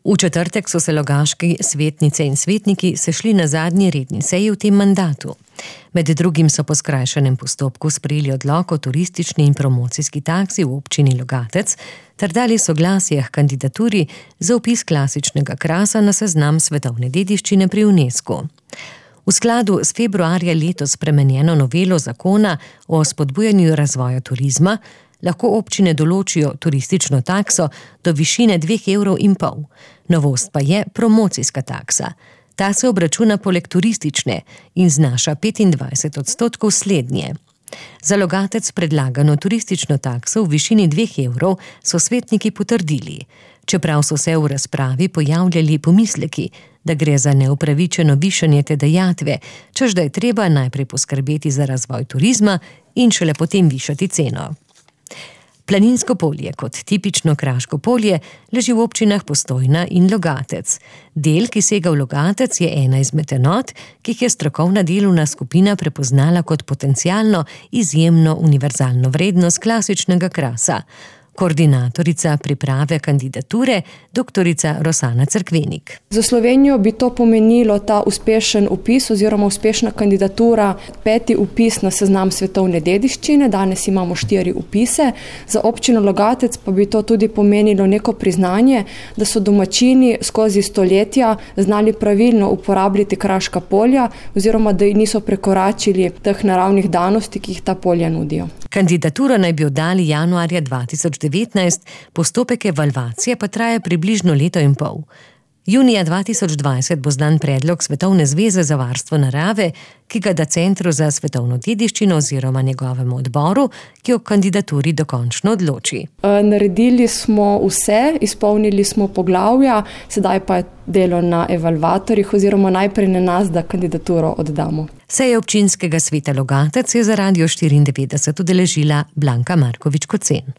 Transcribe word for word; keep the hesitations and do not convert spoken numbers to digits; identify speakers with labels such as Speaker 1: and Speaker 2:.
Speaker 1: V četrtek so se logaški svetnice in svetniki sešli na zadnji redni seji v tem mandatu. Med drugim so po skrajšanem postopku sprejeli odlok o turistični in promocijski taksi v občini Logatec ter dali soglasje k kandidaturi za vpis klasičnega krasa na seznam svetovne dediščine pri UNESCO. V skladu s februarja letos spremenjeno novelo zakona o spodbujanju razvoja turizma lahko občine določijo turistično takso do višine dveh evrov in pol. Novost pa je promocijska taksa. Ta se obračuna poleg turistične in znaša petindvajset odstotkov slednje. Za Logatec predlagano turistično takso v višini dveh evrov so svetniki potrdili, čeprav so se v razpravi pojavljali pomisleki, da gre za neupravičeno višanje te dajatve, češ da je treba najprej poskrbeti za razvoj turizma in šele potem višati ceno. Planinsko polje kot tipično kraško polje leži v občinah Postojna in Logatec. Del, ki sega v Logatec, je ena izmed enot, ki jih je strokovna delovna skupina prepoznala kot potencialno izjemno univerzalno vrednost klasičnega krasa. Koordinatorica priprave kandidature, doktorica Rosana Cerkvenik.
Speaker 2: Za Slovenijo bi to pomenilo ta uspešen vpis oziroma uspešna kandidatura, peti vpis na seznam svetovne dediščine, danes imamo štiri vpise. Za občino Logatec pa bi to tudi pomenilo neko priznanje, da so domačini skozi stoletja znali pravilno uporabljati kraška polja oziroma da niso prekoračili teh naravnih danosti, ki jih ta polja nudijo.
Speaker 1: Kandidaturo naj bi oddali januarja dva tisoč devetnajst, postopek evalvacije pa traja približno leto in pol. Junija dva tisoč dvajset bo znan predlog Svetovne zveze za varstvo narave, ki ga da Centru za svetovno dediščino oziroma njegovemu odboru, ki o kandidaturi dokončno odloči.
Speaker 2: Naredili smo vse, izpolnili smo poglavja, sedaj pa je delo na evalvatorjih oziroma najprej na nas, da kandidaturo oddamo.
Speaker 1: Seje občinskega sveta Logatec je za Radio štiriindevetdeset udeležila Blanka Markovič Kocen.